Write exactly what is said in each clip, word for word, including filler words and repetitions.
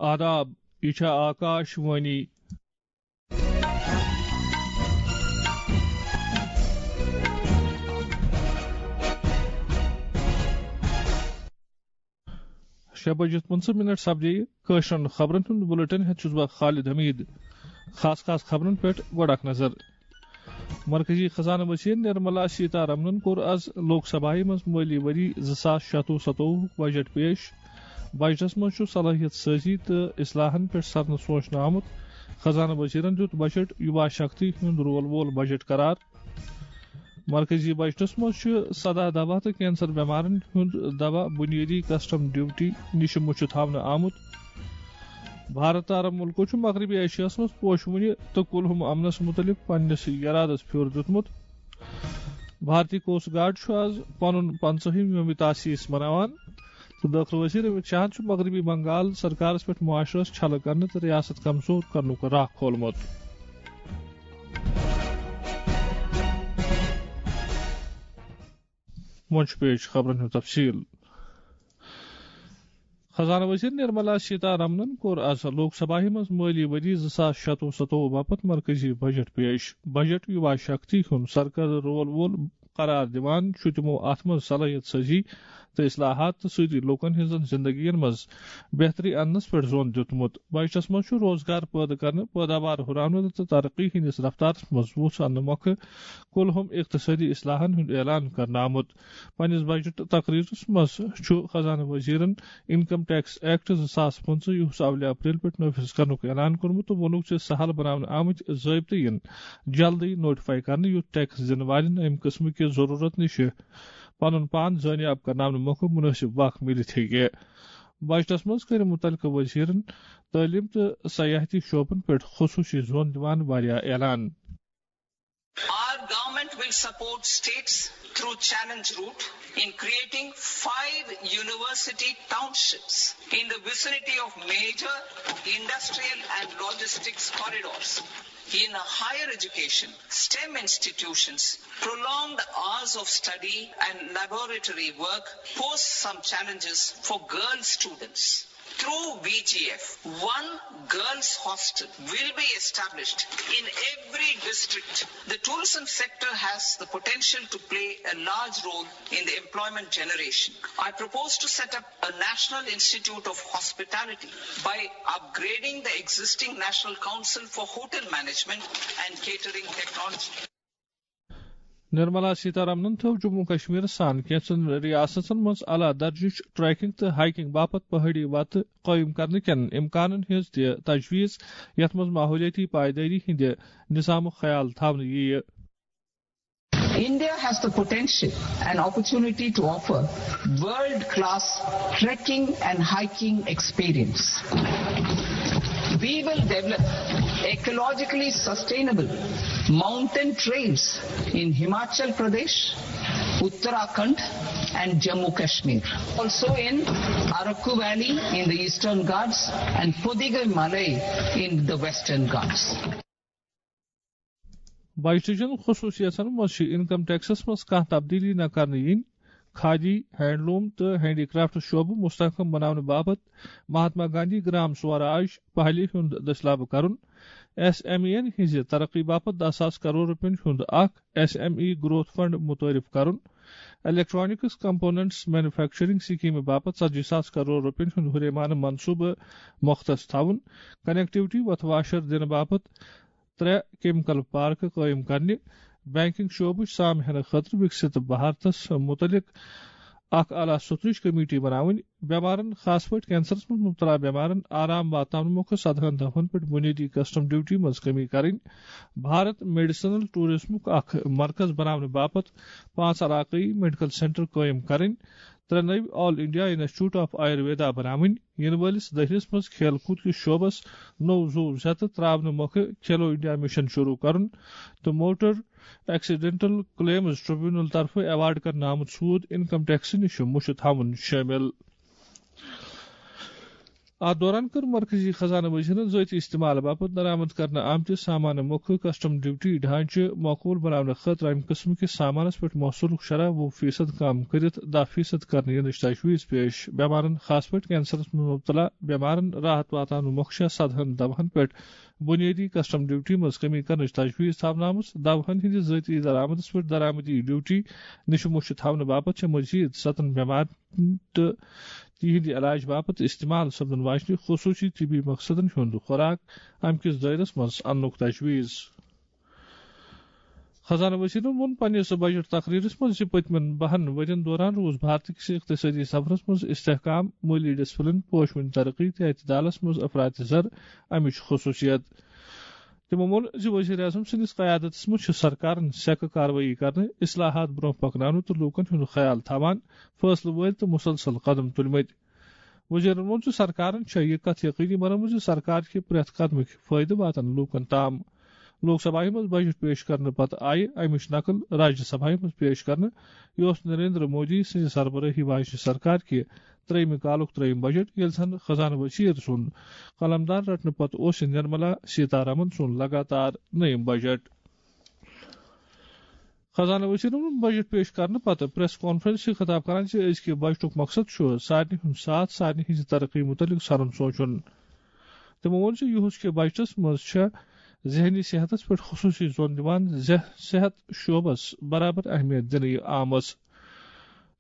آداب، یہِ چھےٚ آکاش وانی۔ شےٚ بجے پٕنٛژٕہ منٹ سپدے کٲشرٮ۪ن خبرن ہُنٛد بُلٹن ہٮ۪تھ چھُس بہٕ خالد حمید۔ خاص خاص خبرن پٮ۪ٹھ گۄڈٕ اکھ نظر۔ مرکزی خزانہٕ وزیر نرملا سیتا رمنن کوٚر از لوک سبھایہ منٛز مٲلی ؤری زٕ ساس شتوُہ ستووُہُک بجٹ پیش۔ بجٹس منٛز چھُ صلٲحیت سٲزی تہٕ اصلاحن پٮ۪ٹھ سرنہٕ سوچنہٕ آمُت۔ خزانہٕ وزیرن دیُت بجٹ یُوا شکتی ہُنٛد رول وول بجٹ قرار۔ مرکزی بجٹس منٛز چھُ سداہ دوا تہٕ کینسر بٮ۪مارن ہُنٛد دوا بُنیٲدی کسٹم ڈیوٹی نِش مُچھِ تھاونہٕ آمُت۔ بھارت تہٕ عرب مُلکو چھُ مغربی ایشیاہس منٛز پوشہٕ وُنہِ تہٕ کُلہُم امنس مُتعلق پننِس یرادس پھیُر دیُتمُت۔ بھارتی کوسٹ گارڈ چھُ از پنُن پنژاہِم یوم تاسیس مناوان تہٕ دٲخلہٕ وزیر امت شاہن چھُ مغربی بنگال سرکارس پٮ۪ٹھ معاشرس چھلہٕ کرنہٕ تہٕ ریاست کمزور کرنُک راہ کھولمُت۔ وۄنۍ چھُ پیش خبرن ہُنٛد تفصیل۔ خزانہٕ وزیر نرملا سیتا رمنن کوٚر از لوک سبھایہ منٛز مٲلی ؤری زٕ ساس شتوُہ ستووُہ باپتھ مرکزی بجٹ پیش۔ بجٹ یُوا شکتی ہُنٛد سرکردٕ رول وول قرار دِوان چھُ تِمو اتھ منٛز صلٲحیت سٲزی تہٕ اصلاحات تہٕ سۭتی لوٗکن ہٕنٛزن زندگین منٛز بہتری اننس پٮ۪ٹھ زون دیُتمُت۔ بجٹس منٛز چھُ روزگار پٲدٕ کرنہٕ، پٲداوار ہُراونہٕ تہٕ ترقی ہٕنٛدِس رفتارس منٛز وُژھ اننہٕ مۄکھٕ کُلہُم اقتصٲدی اصلاحن ہُنٛد اعلان کرنہٕ آمُت۔ پننِس بجٹ تقریرس منٛز چھُ خزانہٕ وزیرن انکم ٹیکس ایکٹ زٕ ساس پٕنٛژٕہ یُس اولہِ اپریل پٮ۪ٹھ نافذ کرنُک اعلان کوٚرمُت تہٕ ووٚنُکھ زِ سہل بناونہٕ آمٕتۍ ضٲبطہٕ یِن جلدٕے نوٹیفائی کرنہٕ، یُتھ ٹیکس دِنہٕ والٮ۪ن امہِ قٕسمٕکہِ ضروٗرت نِش پنُن پان زٲنیاب کرناونہٕ مۄکھٕ مُنٲسِب وق میٖلِتھ ہیٚکہِ۔ بجٹس منٛز کٔرۍ مُتعلقہٕ وزیرن تعلیٖم تہٕ سیاحتی شعبن پٮ۪ٹھ خصوٗصی زون دِوان واریاہ اعلان۔ Our government will support states through challenge route in creating five university townships in the vicinity of major industrial and logistics corridors. In higher education, STEM institutions, prolonged hours of study and laboratory work pose some challenges for girl students. Through V G F, one girls' hostel will be established in every district. The tourism sector has the potential to play a large role in the employment generation. I propose to set up a National Institute of Hospitality by upgrading the existing National Council for Hotel Management and Catering Technology. Nirmala سیتارامنن تھٲو جموں کشمیرس سان کینٛژن ریاستن منٛز اعلیٰ درجٕچ trekking تہٕ hiking باپتھ پہٲڑی وتہٕ قٲیِم کرنہٕ کٮ۪ن امکانن ہٕنٛز تہِ تجویز، یتھ منٛز ماحولیٲتی پائیدٲری ہٕنٛدِ نظامُک خیال تھاونہٕ یِیہِ۔ India has the potential and opportunity to offer world-class trekking and hiking experience. We will develop ecologically sustainable mountain trails in Himachal Pradesh, Uttarakhand, and Jammu Kashmir. Also in Araku Valley in the Eastern Ghats and Podigaimalai in the Western Ghats. بجٹٕچن خصوٗصیژن منٛز چھِ income Texas منٛز کانٛہہ تبدیلی نہ کرنہٕ یِنۍ، khadi, handloom تہٕ handy craft شعبہٕ مستحکم بناونہٕ باپتھ مہاتما گاندھی گرام سوراج پہلہِ ہُنٛد دٔسلابہٕ کرُن، ایس ایم ای یَن ہٕنٛزِ ترقی باپتھ دَہ ساس کرور رۄپین ہُنٛد اکھ S M E growth fund متعارف کرُن، الیکٹرانکس کمپوننٹس مینوفیکچرنگ سکیمہِ باپتھ ژتجی ساس کرور رۄپین ہُنٛد ہُریمانہٕ منصوبہٕ مختص تھاوُن، کنیکٹیوٹی وتھ واشر دِنہٕ باپتھ ترٛےٚ کیمیکل پارکہٕ قٲیِم کرنہِ، بینکنگ شعبٕچ سام ہینہٕ خٲطرٕ وِکسِت بھارتس مُتعلِق اکھ اعلیٰ سطحٕچ کمیٹی بناوٕنۍ، بٮ۪مارن، خاص پٲٹھۍ کینسرس منٛز مبتلا بٮ۪مارن آرام واتناونہٕ مۄکھٕ سدہن دفعن پٮ۪ٹھ بُنیٲدی کسٹم ڈیوٹی منٛز کمی کرٕنۍ، بھارت میڈیسنل ٹورازمُک اکھ مرکز بناونہٕ باپتھ پانٛژھ علاقٲیی میڈیکل سینٹر قٲیِم کرٕنۍ، ترٛےٚ نٔوۍ آل انڈیا انسٹیٹیوٹ آف آیورویدا بناوٕنۍ، یِنہٕ وٲلِس دٔہلِس منٛز کھیل کوٗد کِس شعبس نوٚو زُو زیتہٕ ترٛاونہٕ مۄکھٕ کھیلو انڈیا مشن شروع کرُن تہٕ موٹر ایکسیڈنٹل کلیمز ٹریبونل طرفہٕ ایوارڈ کرنہٕ آمُت سوٗد انکم ٹیکس نِش مُچھِ تھاوُن شٲمِل۔ اتھ دوران کٔر مرکزی خزانہٕ وزیرن ذٲتی استعمال باپتھ درآمد کرنہٕ آمتہِ سامانہٕ مۄکھٕ کسٹم ڈیوٹی ڈھانچہٕ معقول بناونہٕ خٲطرٕ امہِ قٕسمہٕ کِس سامانس پٮ۪ٹھ محصولُک شرح وُہ فیصد کم کٔرِتھ دَہ فیصد کرنہٕ یِنٕچ تجویز پیش۔ بٮ۪مارن، خاص پٲٹھۍ کینسرس منٛز مبتلا بٮ۪مارن، راحت واتناونہٕ مۄکھٕ چھےٚ سدہن دوہن پٮ۪ٹھ بنیٲدی کسٹم ڈیوٹی منٛز کمی کرنٕچ تجویز تھاونہٕ آمٕژ۔ دوہن ہٕنٛدِس ذٲتی درآمدس پٮ۪ٹھ درآمدی ڈیوٹی نِش مۄچھِ تھاونہٕ باپتھ چھےٚ مزید ستن بٮ۪مارن تہٕ تِہنٛدِ علاج باپتھ استعمال سپدن واجنہِ خصوٗصی طبی مقصدن ہُنٛد خوراک امہِ کِس دٲیرس منٛز اننُک تجویز۔ خزانہٕ وزیرن ووٚن پننِس بجٹ تقریرس منٛز زِ پٔتمٮ۪ن بہن ؤرین دوران روٗز بھارت کِس اقتصٲدی سفرس منٛز استحکام، مٲلی ڈسپلن، پوشوٕنۍ ترقی تہٕ اعتدالس منٛز افراط زر امِچ خصوٗصیت۔ تِمو ووٚن زِ وزیر اعظم سٕنٛدِس قیادتس منٛز چھِ سرکارن سیٚکہٕ کاروٲیی کرنہٕ، اصلاحات برٛونٛہہ پکناونہٕ تہٕ لوٗکن ہُنٛد خیال تھاوان فٲصلہٕ وٲلۍ تہٕ مسلسل قدم تُلمٕتۍ۔ وزیرن ووٚن زِ سرکارن چھےٚ یہِ کتھ یقینی بنٲومٕژ زِ سرکار کہِ پرٛٮ۪تھ قدمٕکۍ فٲیدٕ واتن لوٗکن تام۔ لوک سبھایہ منٛز بجٹ پیش کرنہٕ پتہٕ آیہِ امِچ نقل راجیہ سبھایہ منٛز پیش کرنہٕ، یۄس نریندر مودی سٕنٛزِ سربرٲہی واجنہِ سرکار کہِ ترٛیٚیمہِ کالُک ترٛیٚیم بجٹ، ییٚلہِ زن خزانہٕ وزیر سُنٛد قلمدان رٹنہٕ پتہٕ اوس یہِ نرملا سیتارامن سُنٛد لگاتار نٔیِم بجٹ۔ خزانہٕ وزیرن ووٚن بجٹ پیش کرنہٕ پتہٕ پریس کانفرنس سۭتۍ خطاب کران زِ أزکہِ بجٹُک مقصد چھُ سارنٕے ہُنٛد ساتھ، سارنٕے ہٕنٛزِ ترقی مُتعلق سرُن سونٛچُن۔ تِمو ووٚن زِ یُہُس کہِ بجٹس منٛز چھےٚ ذہنی صحتس پٮ۪ٹھ خصوٗصی زون دِوان، زِ صحت شعبس برابر اہمیت دِنہٕ آمٕژ۔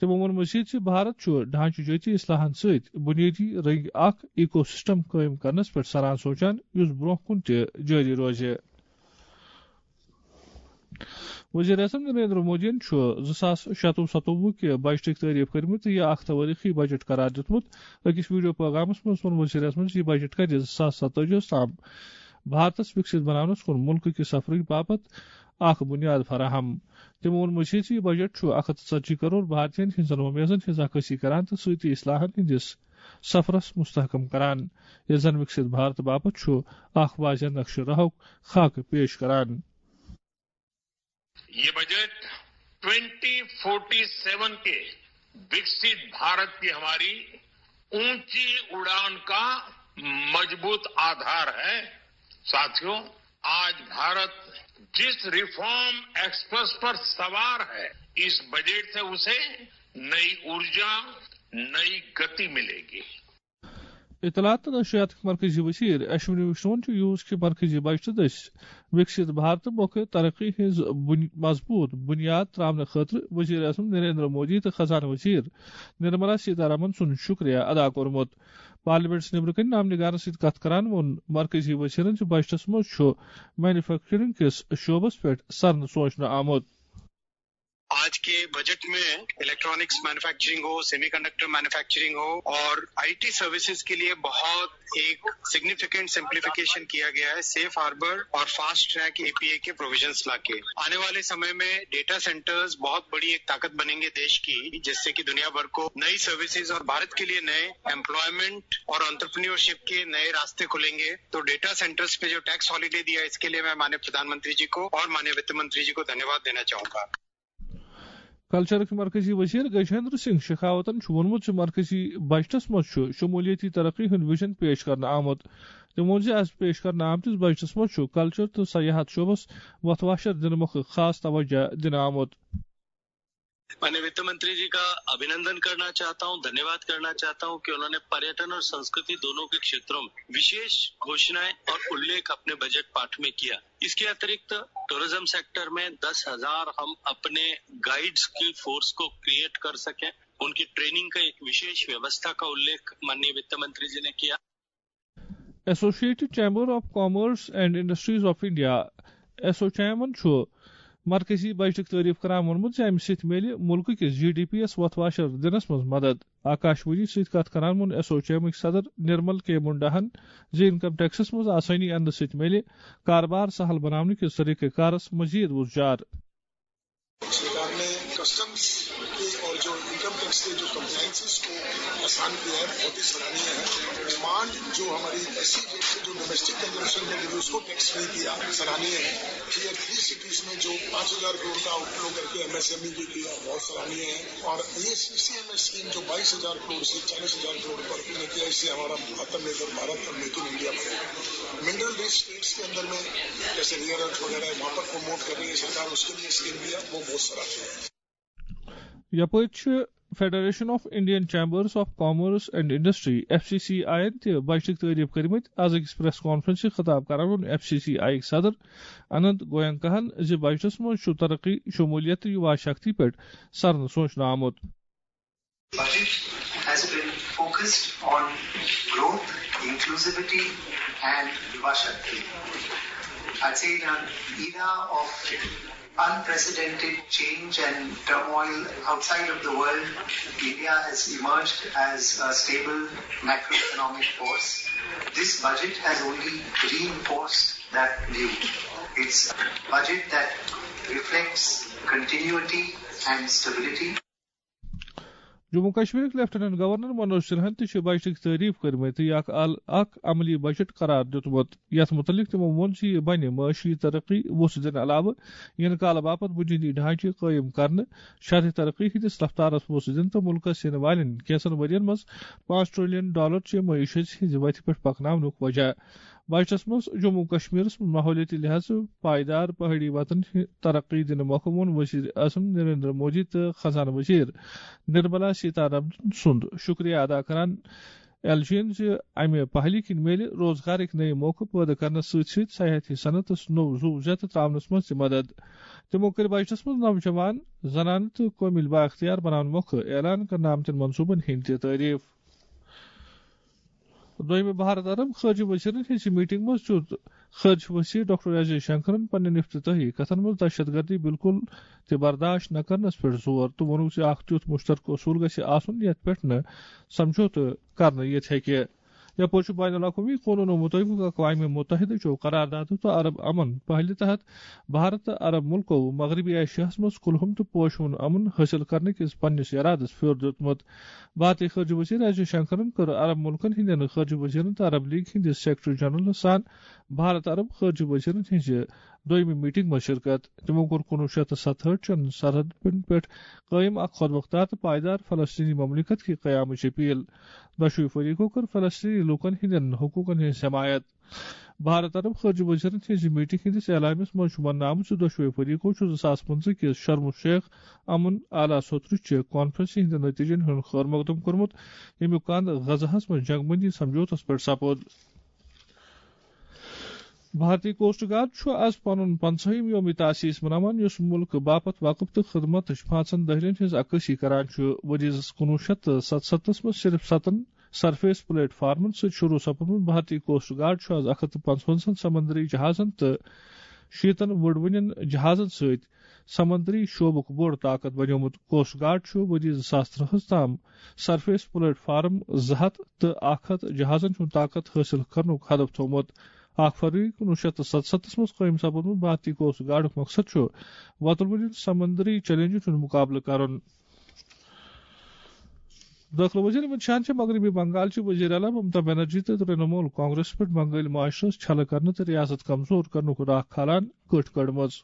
تِمو ووٚن مزید زِ بھارت چھُ ڈھانچہٕ جٲتی اصلاحن سۭتۍ بنیٲدی رنگہِ اکھ ایکو سسٹم قٲیِم کرنس پٮ۪ٹھ سران سونٛچان، یُس برٛونٛہہ کُن تہِ جٲری روزِ۔ وزیر اعظم نریندر مودیَن چھُ زٕ ساس شَتوُہ ستووُہ کہِ بجٹٕکۍ تعریف کٔرمٕتۍ تہٕ یہِ اکھ توٲریخی بجٹ قرار دیُتمُت۔ أکِس ویڈیو پیغامَس منٛز ووٚن وزیر اعظمَن زِ یہِ بجٹ کرِ زٕ ساس ستٲجی تام بھارتَس وِکسِت بناونَس کُن مُلکہٕ کہِ سفرٕکۍ باپتھ اکھ بُنیاد فراہم۔ تٔمۍ ووٚن مزید زِ یہِ بجٹ چھُ اکھ ہتھ تہٕ ژتجی کرور بھارتین ہٕنٛزن وۄمیزن ہٕنٛز عکٲسی کران تہٕ سۭتی اصلاحن ہٕنٛدِس سفرس مستحکم کران، ییٚلہِ زن وِکسِت بھارت باپتھ چھُ اکھ واضح نقشہٕ راہُک خاکہٕ پیش کران۔ ये बजट ट्वेंटी फोर्टी सेवन के विकसित भारत की हमारी ऊंची उड़ान का मजबूत आधार है। साथियों, आज भारत जिस रिफॉर्म एक्सप्रेस पर सवार है, इस बजट से उसे नई ऊर्जा, नई गति मिलेगी। اطلاعات تہٕ نشریاتٕکۍ مرکزی وزیر اشونی وشنون چھُ یوٗز کہِ مرکزی بجٹہٕ دٔسۍ وِکسِت بھارت مۄکھٕ ترقی ہٕنٛز بُنۍ-، مضبوٗط بُنیاد ترٛاونہٕ خٲطرٕ وزیر اعظم نریندر مودی تہٕ خزانہٕ وزیر نرملا سیتارامن سُنٛد شُکریہ ادا کوٚرمُت۔ پارلیمنٹس نیبرٕ کنہِ نامہ نگارن سۭتۍ کتھ کران ووٚن مرکزی وزیرن زِ بجٹس منٛز چھُ مینوفیکچرنگ کِس شعبس پٮ۪ٹھ سرنہٕ سونچنہٕ آمُت۔ आज के बजट में इलेक्ट्रॉनिक्स मैन्युफैक्चरिंग हो, सेमीकंडक्टर मैन्युफैक्चरिंग हो और आईटी सर्विसेज के लिए बहुत एक सिग्निफिकेंट सिंप्लीफिकेशन किया गया है। सेफ हार्बर और फास्ट ट्रैक एपीए के प्रोविजंस लाके आने वाले समय में डेटा सेंटर्स बहुत बड़ी एक ताकत बनेंगे देश की, जिससे कि दुनिया भर को नई सर्विसेज और भारत के लिए नए एम्प्लॉयमेंट और एंटरप्रेन्योरशिप के नए रास्ते खुलेंगे। तो डेटा सेंटर्स पे जो टैक्स हॉलीडे दिया, इसके लिए मैं माननीय प्रधानमंत्री जी को और माननीय वित्त मंत्री जी को धन्यवाद देना चाहूंगा। کلچرٕکۍ مرکزی وزیر گجیندر سنگھ شیخاوتن چھُ ووٚنمُت زِ مرکزی بجٹس منٛز چھُ شمولیتی ترقی ہُنٛد ویژن پیش کرنہٕ آمُت۔ تٔمۍ ووٚن زِ از پیش کرنہٕ آمتِس بجٹس منٛز چھُ کلچر تہٕ سیاحت شعبس وۄتھ واشر دِنہٕ مۄکھٕ خاص توجہ دِنہٕ آمُت۔ मैं वित्त मंत्री जी का अभिनंदन करना चाहता हूं, धन्यवाद करना चाहता हूं कि उन्होंने पर्यटन और संस्कृति दोनों के क्षेत्रों में विशेष घोषणाएं और उल्लेख अपने बजट पाठ में किया। इसके अतिरिक्त टूरिज्म सेक्टर में दस हजार हम अपने गाइड्स की फोर्स को क्रिएट कर सकें, उनकी ट्रेनिंग का एक विशेष व्यवस्था का उल्लेख माननीय वित्त मंत्री जी ने किया। Associated Chamber of Commerce and Industries of India, ایسوچیمن چھُ مرکزی بجٹٕچ تعریف کران ووٚنمُت زِ امہِ سۭتۍ میلہِ مُلکہٕ کِس جی ڈی پی یَس وۄتھ واشر دِنَس منٛز مدد۔ آکاش وانی سۭتۍ کتھ کران ووٚن ایسوچیمٕکۍ صدر نرمل کے منڈاہن زِ انکم ٹیکسس منٛز آسٲنی اننہٕ سۭتۍ میلہِ کاربار سہل بناونہٕ کِس طریقہٕ کارس مزید وُژھ جار۔ सरकार ने कस्टम्स के और जो इनकम टैक्स के जो कंप्लायंसेस को किसान किया है, बहुत ही सराहनीय है। डिमांड जो हमारी एससी रेट से जो डोमेस्टिक कंजम्पशन में गिरी, उसको टैक्स फ्री किया, सराहनीय है। टीयर थ्री सिटीज में जो पाँच हज़ार करोड़ का आउटफ्लो करके एमएसएमई भी किया, बहुत सराहनीय है। और ये सीसीएमएस स्कीम जो बाईस हज़ार करोड़ से चालीस हज़ार करोड़ पर हमने किया, इससे हमारा आत्मनिर्भर भारत और मेक इन इंडिया बने। मिनरल रिच स्टेट्स के अंदर में जैसे रेयर अर्थ वगैरह है, वहाँ पर प्रमोट कर रही है सरकार, उसके लिए स्कीम दिया, वो बहुत सराहनीय है। یپٲرۍ چھِ Federation of Indian Chambers of Commerce and Industry, F C C I یَن تہِ بجٹٕکۍ تعریف کٔرمٕتۍ۔ از أکِس پریس کانفرنسہِ خطاب کران ووٚن ایف سی سی آی یٕکۍ صدر اننت گوینکاہن زِ بجٹس منٛز چھُ ترقی، شمولیت تہٕ یووا شکتی پٮ۪ٹھ سرنہٕ سوچنہٕ آمُت۔ Budget has been focused on growth, inclusivity, and Yuva Shakti. I'd say in an era of unprecedented change and turmoil outside of the world, India has emerged as a stable macroeconomic force. This budget has only reinforced that view. It's a budget that reflects continuity and stability. Jammu کشمیرٕکۍ lieutenant governor Manoj سنہاہن تہِ چھِ بجٹٕکۍ تعریف کٔرمٕتۍ تہٕ یہِ اکھ ال-، اکھ عملی بجٹ قرار دیُتمُت۔ یتھ متعلق تِمو ووٚن زِ یہِ بنہِ معاشی ترقی وُژھ دِنہٕ علاوٕ یِنہٕ کالہٕ باپتھ بنیٲدی ڈھانچہٕ قٲیِم کرنہٕ، شرح ترقی ہٕنٛدِس رفتارس وُژھ دِنہٕ تہٕ مُلکس یِنہٕ والٮ۪ن کینٛژن ؤرین منٛز پانٛژھ ٹریلین ڈالر چہِ معیشت ہٕنٛزِ وتہِ پٮ۪ٹھ پکناونُک وجہ۔ بجٹس منٛز جموں و کشمیرس منٛز ماحولیٲتی لحاظہٕ پائیدار پہاڑی وطن ہِ-، ترقی دِنہٕ مۄکھٕ ووٚن وزیر اعظم نریندر مودی تہٕ خزانہٕ وزیر نرملا سیتارمن سُنٛد شُکریہ ادا کران ایل جی یَن زِ امہِ پہلہِ کِنۍ میلہِ روزگارٕکۍ نٔوۍ موقعہٕ پٲدٕ کرنس سۭتۍ سۭتۍ سیاحتی صنعتس نوٚو زُو زیتہٕ تراونس منٛز تہِ مدد۔ تِمو کٔرۍ بجٹس منٛز نوجوان، زنانہٕ تہٕ قٲبِل بااختیار بناونہٕ مۄکھٕ اعلان کرنہٕ آمتٮ۪ن منصوبن ہٕنٛدۍ تہِ تعریف۔ دوٚیمہِ بھارت عرب خارجہ وزیرن ہٕنٛزِ میٹنگ منٛز دیُت خارجہ وزیر ڈاکٹر ایس جے شنکرن پننٮ۪ن افتتاحی کتھن منٛز دہشت گردی بالکل تہِ برداشت نہ کرنس پٮ۪ٹھ زور تہٕ ووٚنُکھ زِ اکھ تیُتھ مشترکہٕ اصول گژھِ آسُن یتھ پٮ۪ٹھ نہٕ سمجھوتہٕ کرنہٕ یِتھ ہیٚکہِ۔ یپٲرۍ چھُ بین الاقوٲمی قونوٗنو مُطٲبِق اقوام متحدہ چیو قراردادو تہٕ عرب امن پہلہِ تحت بھارت تہٕ عرب مُلکو مغربی ایشیاہس منٛز کُلہُم تہٕ پوشوُن امن حٲصِل کرنہٕ کِس پننِس ارادس پھیُر دیُتمُت۔ بھارتی خارجہ وزیر ایس جے شنکرن کٔر عرب مُلکن ہٕنٛدٮ۪ن خارجہ وزیرن تہٕ عرب لیگ ہٕنٛدِس سیکرٹری جنرلس سان بھارت عرب خارجہ وزیرن ہٕنٛزِ دوٚیمہِ میٹنگ منٛز شرکت۔ تِمو کوٚر کُنوُہ شیٚتھ تہٕ ستہٲٹھ چٮ۪ن سرحدن پٮ۪ٹھ قٲیِم اکھ خۄد مۄختار تہٕ پائیدار فلسطینی مملکت کہِ قیامٕچ اپیل۔ دۄشوٕے فریقو کٔر فلسطینی لوٗکن ہٕنٛدٮ۪ن حقوٗقن ہٕنٛز حمایت۔ بھارت عرب خارجہ وزیرن ہٕنٛزِ میٹنگ ہٕنٛدِس اعلامیس منٛز چھُ وننہٕ آمُت زِ دۄشوٕے فریقو چھُ زٕ ساس پٕنٛژٕہ کِس شرم الشیخ امن اعلیٰ سوترٕ چہِ کانفرنسہِ ہٕنٛدِ نتیجن ہُنٛد خٲر مقدم کوٚرمُت، ییٚمیُک کند غزہس منٛز جنگ بندی سمجھوتس پٮ۪ٹھ سپُد۔ بھارتی کوسٹ گارڈ چھُ از پنُن پنژاہِم یوم تاسیس مناوان، یُس مُلکہٕ باپتھ وقف تہٕ خدمتٕچ پانٛژن دٔہلٮ۪ن ہٕنٛز عکٲسی کران چھُ۔ ؤرۍ یَس کُنوُہ شیٚتھ تہٕ ستستھس منٛز صرف ستن سرفیس پلیٹ فارمن سۭتۍ شروع سپُدمُت بھارتی کوسٹ گارڈ چھُ از اکھ ہتھ تہٕ پنٛژوَنزاہن سمندری جہازن تہٕ شیٖتن وُڈوٕنٮ۪ن جہازن سۭتۍ سمندری شعبُک بوٚڑ طاقت بنیومُت۔ کوسٹ گارڈ چھُ ؤرۍ یَس زٕ ساس ترٛہس تام سرفیس پلیٹ فارم زٕ ہتھ تہٕ اکھ ہتھ جہازن ہُنٛد طاقت حٲصِل کرنُک ہدف تھوومُت۔ اکھ فروری کُنوُہ شیٚتھ تہٕ ستستھس منٛز قٲیِم سپُدمُت بھارتی کوسٹ گارڈُک مقصد چھُ وۄتلوٕنٮ۪ن سمندری چیلنجن ہُنٛد مقابلہٕ کرُن۔ دٲخلہٕ وزیر امت شاہن چھِ مغربی بنگال چہِ وزیر اعلیٰ ممتا بنرجی تہٕ ترنمول کانگریس پٮ۪ٹھ بنگٲلۍ معاشرس چھلہٕ کرنہٕ تہٕ ریاست کمزور کرنُک راکھ کھالان کٔٹھۍ کٔڑمٕژ۔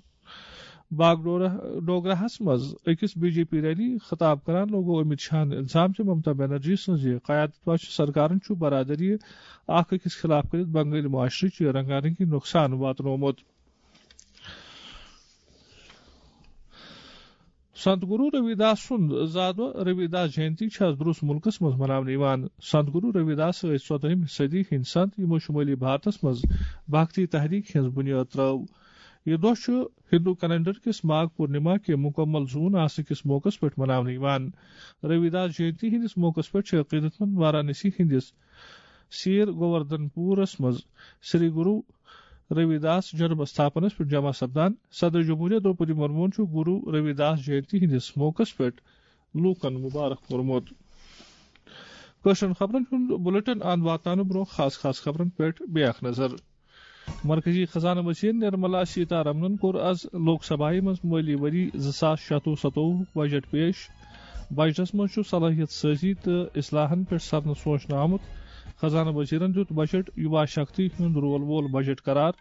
باغ ڈورہ-، ڈوگراہس منٛز أکِس بی جے پی ریلی خطاب کران لوگو امت شاہن الزام زِ ممتا بنرجی سٕنٛزِ قیادت واجہِ سرکارن چھُ برادری اکھ أکِس خلاف کٔرِتھ بنگٲلۍ معاشرٕچ رنگا رنگی نۄقصان واتنومُت۔ سنت گرو روی داس سُنٛد زادٕ دۄہ روی داس جینتی چھِ از درست مُلکس منٛز مناونہٕ یِوان۔ سنت گرو روی داس ٲسۍ ژۄدٲہمہِ صدی ہٕنٛدۍ سنت، یِمو شُمٲلی بھارتس منٛز بھکتی تحریک ہٕنٛز بُنیٲد ترٲو۔ یہِ دۄہ چھُ ہندو کیلنڈر کِس ماگ پورنما کہِ مُکمل زوٗن آسنہٕ کِس موقعس پٮ۪ٹھ مناونہٕ یِوان۔ روی داس جینتی ہٕنٛدِس موقعس پٮ۪ٹھ چھِ عقیدت مند وارانسی ہٕنٛدِس سیر گووردھن پورس منٛز سری گرو روی داس جنم استھاپنس پٮ۪ٹھ جمع سپدان۔ صدر جمہوریہ دروپدی مرموہن چھُ گرو روی داس جینتی ہٕنٛدِس موقعس پٮ۪ٹھ لوٗکن مُبارک کوٚرمُت۔ کٲشرٮ۪ن خبرن ہُنٛد بُلٹن اند واتناونہٕ برٛونٛہہ خاص خاص خبرن پٮ۪ٹھ بیٚیہِ اکھ نظر۔ مرکزی خزانہٕ وزیر نرملا سیتارمنن کوٚر از لوک سبھایہ منٛز مٲلی ؤری زٕ ساس شتوُہ ستووُہُک بجٹ پیش۔ بجٹس منٛز چھُ صلٲحیت سٲزی تہٕ اصلاحن پٮ۪ٹھ سرنہٕ سوچنہٕ آمُت۔ خزانہٕ وزیرن دیُت بجٹ یُوا شکتی ہُنٛد رول وول بجٹ قرار۔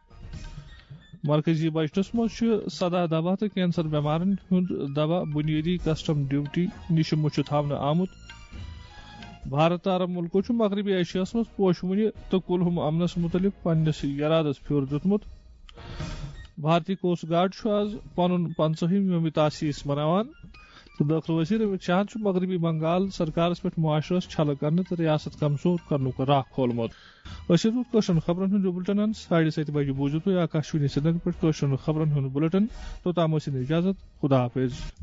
مرکزی بجٹس منٛز چھُ سداہ دوا تہٕ کینسر بٮ۪مارن ہُنٛد دوا بُنیٲدی کسٹم ڈیوٹی نِش مُچھِ تھاونہٕ آمُت۔ بھارت تہٕ عرب مُلکو چھُ مغربی ایشیاہس منٛز پوشہٕ وُنہِ تہٕ کُلہُم امنس مُتعلق پننِس یرادس پھیُر دیُتمُت۔ بھارتی کوسٹ گارڈ چھُ آز پنُن پنژاہِم یوم تاسیس مناوان تہٕ دٲخلہٕ وزیر امت شاہن چھُ مغربی بنگال سرکارس پٮ۪ٹھ معاشرس چھلہٕ کرنہٕ تہٕ ریاست کمزور کرنُک راہ کھولمُت۔ أسۍ چھِ روٗد کٲشرٮ۪ن خبرن ہُنٛد یہِ بُلٹن۔ ساڑِ ستہِ بجہِ بوٗزِو تُہۍ آکاشوانی سرینگر پٮ۪ٹھ کٲشرٮ۪ن خبرن ہُنٛد بُلٹن۔ توٚتام ٲسِن اجازت۔ خدا حافظ۔